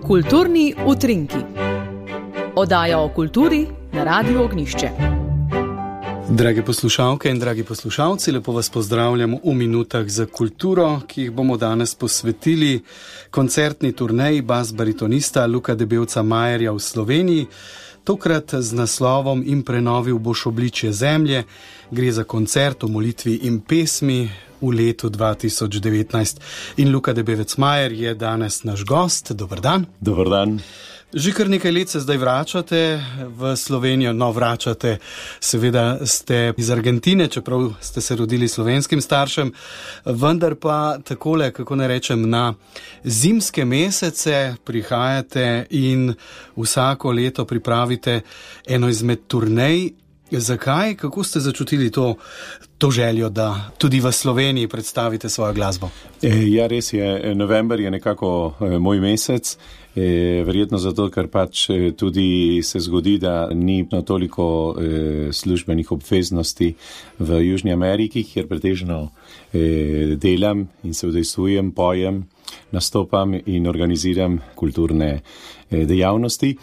Kulturni utrinki. Oddaja o kulturi na Radiu Ognjišče. Drage poslušalke in dragi poslušalci, lepo vas pozdravljam v minutah za kulturo, ki jih bomo danes posvetili koncertni turneji bas-baritonista Luka Debevca-Majerja v Sloveniji, tokrat z naslovom In prenovil boš obličje zemlje. Gre za koncert o molitvi in pesmi v letu 2019. In Luka Debevec-Majer je danes naš gost. Dober dan. Dober dan. Že kar nekaj let se zdaj vračate v Slovenijo, vračate, seveda ste iz Argentine, čeprav ste se rodili slovenskim staršem, vendar pa takole, kako ne rečem, na zimske mesece prihajate in vsako leto pripravite eno izmed turnej. Zakaj? Kako ste začutili to željo, da tudi v Sloveniji predstavite svojo glasbo? Ja, res je. November je nekako moj mesec. Verjetno zato, ker pač tudi se zgodi, da ni toliko službenih obveznosti v Južni Ameriki, kjer pretežno delam in se udejstvujem, pojem, nastopam in organiziram kulturne dejavnosti.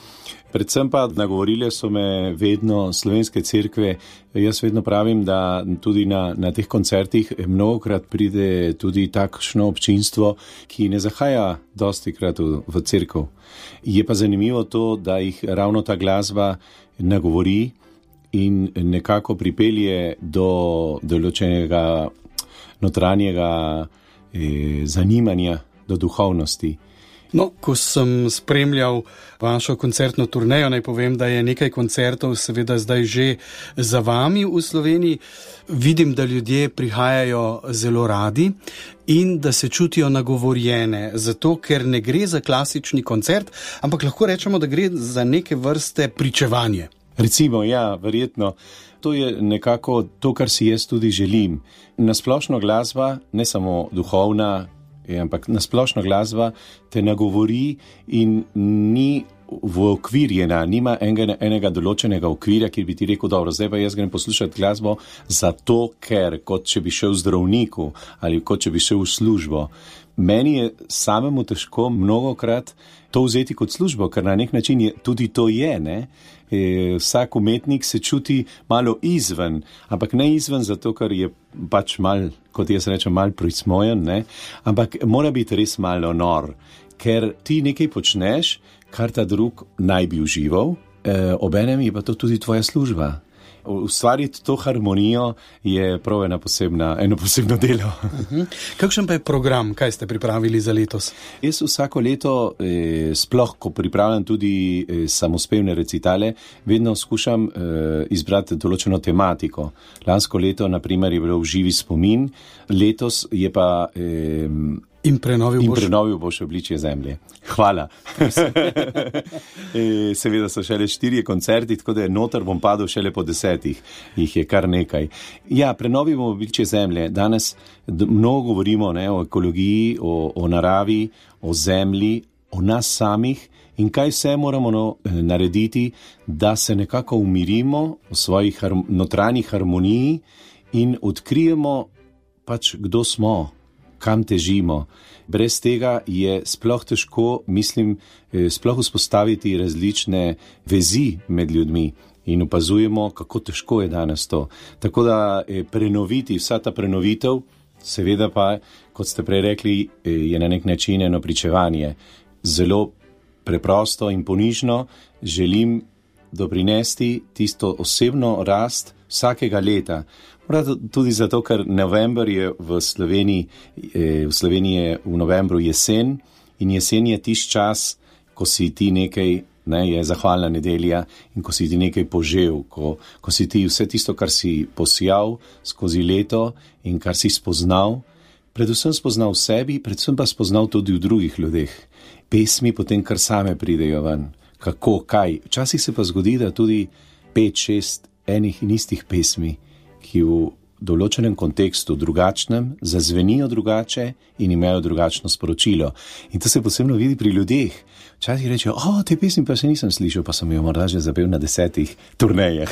Predvsem pa nagovorile so me vedno slovenske cerkve. Jaz vedno pravim, da tudi na teh koncertih mnogokrat pride tudi takšno občinstvo, ki ne zahaja dostikrat v cerkev. Je pa zanimivo to, da jih ravno ta glasba nagovori in nekako pripelje do določenega notranjega zanimanja, do duhovnosti. No, ko sem spremljal vašo koncertno turnejo, naj povem, da je nekaj koncertov seveda zdaj že za vami v Sloveniji. Vidim, da ljudje prihajajo zelo radi in da se čutijo nagovorjene, zato ker ne gre za klasični koncert, ampak lahko rečemo, da gre za neke vrste pričevanje. Recimo, ja, verjetno. To je nekako to, kar si jaz tudi želim. Nasplošno glasba, ne samo duhovna, ampak nasplošno glasba te nagovori in ni okvirjena, nima enega določenega okvirja, ki bi ti rekel, dobro, zdaj pa jaz grem poslušati glasbo zato, ker kot če bi šel zdravniku ali kot če bi šel v službo. Meni je samemu težko mnogokrat to vzeti kot službo, ker na nek način tudi to je, ne? Vsak umetnik se čuti malo izven, ampak ne izven zato, ker je pač mal, kot jaz rečem, mal prismojen, ne? Ampak mora biti res malo nor, ker ti nekaj počneš, kar ta drug naj bi užival, obenem je pa to tudi tvoja služba. Ustvariti to harmonijo je prav eno posebno delo. Kakšen pa je program, kaj ste pripravili za letos? Jaz vsako leto, sploh ko pripravljam tudi samospevne recitale, vedno skušam izbrati določeno tematiko. Lansko leto, na primer, je bilo Živi spomin, letos je pa In prenovil boš obličje zemlje. Hvala. Seveda so šele 4 koncerti, tako da noter bom padel šele po 10. Jih je kar nekaj. Ja, prenovil bomo obličje zemlje. Danes mnogo govorimo, ne, o ekologiji, o naravi, o zemlji, o nas samih in kaj vse moramo narediti, da se nekako umirimo v svojih notranjih harmoniji in odkrijemo pač, kdo smo, kam težimo. Brez tega je sploh težko, mislim, sploh vzpostaviti različne vezi med ljudmi in opazujemo, kako težko je danes to. Tako da prenoviti, vsa ta prenovitev, seveda pa, kot ste prej rekli, je na nek način eno pričevanje. Zelo preprosto in ponižno želim doprinesti tisto osebno rast vsakega leta. Tudi zato, ker november je v Sloveniji je v novembru jesen in jesen je tisti čas, ko si ti nekaj, ne, je zahvalna nedelja in ko si ti nekaj požel, ko si ti vse tisto, kar si posijal skozi leto in kar si spoznal, predvsem spoznal v sebi, predvsem pa spoznal tudi v drugih ljudeh. Pesmi potem kar same pridejo ven. Kako, kaj. Včasih se pa zgodi, da tudi 5-6 enih in istih pesmi, ki v določenem kontekstu drugačnem, zazvenijo drugače in imajo drugačno sporočilo. In to se posebno vidi pri ljudeh. Včasih rečejo, te pesmi pa še nisem slišal, pa sem jo morda že zapel na 10 turnejah.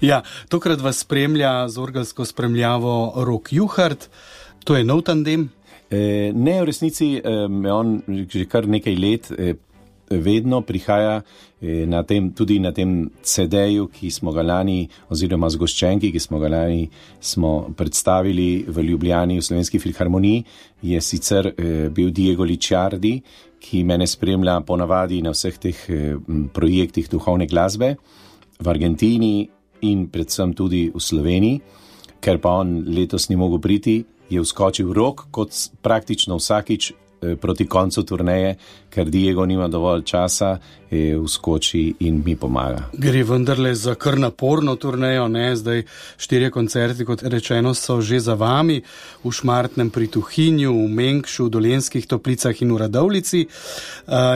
Ja, tokrat vas spremlja z orgelsko spremljavo Rok Juhart. To je nov tandem? Ne, v resnici on že kar nekaj let vedno prihaja tudi na tem CD-ju, ki smo ga lani, oziroma zgoščenki, ki smo ga lani predstavili v Ljubljani v Slovenski filharmoniji, je sicer bil Diego Licciardi, ki mene spremlja ponavadi na vseh teh projektih duhovne glasbe v Argentini in predvsem tudi v Sloveniji. Ker pa on letos ni mogel priti, je vskočil Rok kot praktično vsakič proti koncu turneje, ker Diego nima dovolj časa, vskoči in mi pomaga. Gre vendarle za kar naporno turnejo, ne? Zdaj 4 koncerti, kot rečeno, so že za vami, v Šmartnem pri Tuhinju, v Mengšu, v Dolenjskih Toplicah in v Radovljici.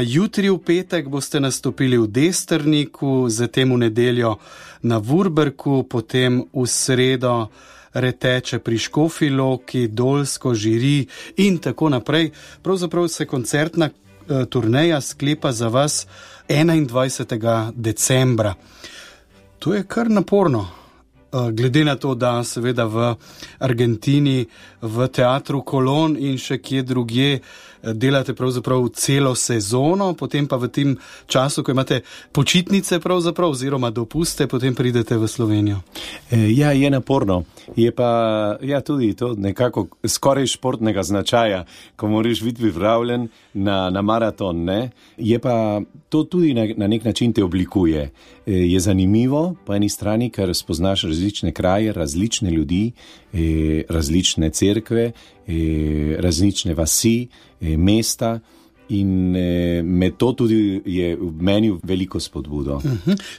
Jutri v petek boste nastopili v Desterniku, zatem v nedeljo na Vurberku, potem v sredo Reteče pri Škofji Loki, Dolsko, Žiri in tako naprej. Pravzaprav se koncertna turneja sklepa za vas 21. decembra. To je kar naporno. Glede na to, da seveda v Argentini, v teatru Kolon in še kje drugje delate pravzaprav celo sezono, potem pa v tem času, ko imate počitnice pravzaprav oziroma dopuste, potem pridete v Slovenijo. Ja, je naporno. Je pa tudi to nekako skoraj športnega značaja, ko moraš biti pripravljen na maraton, ne? Je pa to tudi na nek način te oblikuje. Je zanimivo po eni strani, ker spoznaš različne kraje, različne ljudi, različne cerkve, različne vasi, mesta in me to tudi je v meni veliko spodbudo.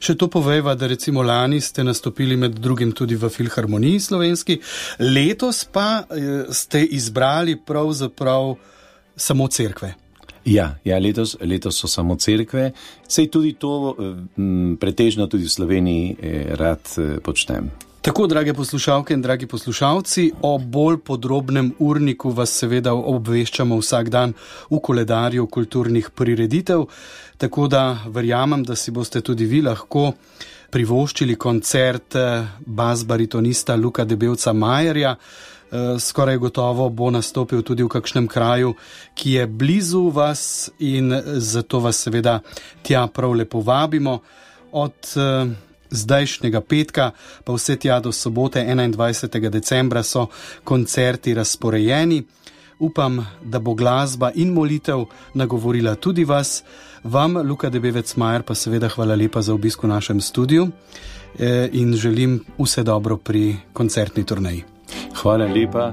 Še to povejva, da recimo lani ste nastopili med drugim tudi v Filharmoniji slovenski, letos pa ste izbrali pravzaprav samo cerkve. Ja, letos so samo cerkve, sej tudi to pretežno tudi v Sloveniji rad počnem. Tako, drage poslušalke in dragi poslušalci, o bolj podrobnem urniku vas seveda obveščamo vsak dan v koledarju kulturnih prireditev, tako da verjamem, da si boste tudi vi lahko privoščili koncert bas-baritonista Luka Debevca Majerja. Skoraj gotovo bo nastopil tudi v kakšnem kraju, ki je blizu vas in zato vas seveda tja prav lepo vabimo. Od zdajšnjega petka pa vse tja do sobote 21. decembra so koncerti razporejeni. Upam, da bo glasba in molitev nagovorila tudi vas. Vam, Luka Debevec Majer, pa seveda hvala lepa za obisk v našem studiu in želim vse dobro pri koncertni turneji. Hvala lepa.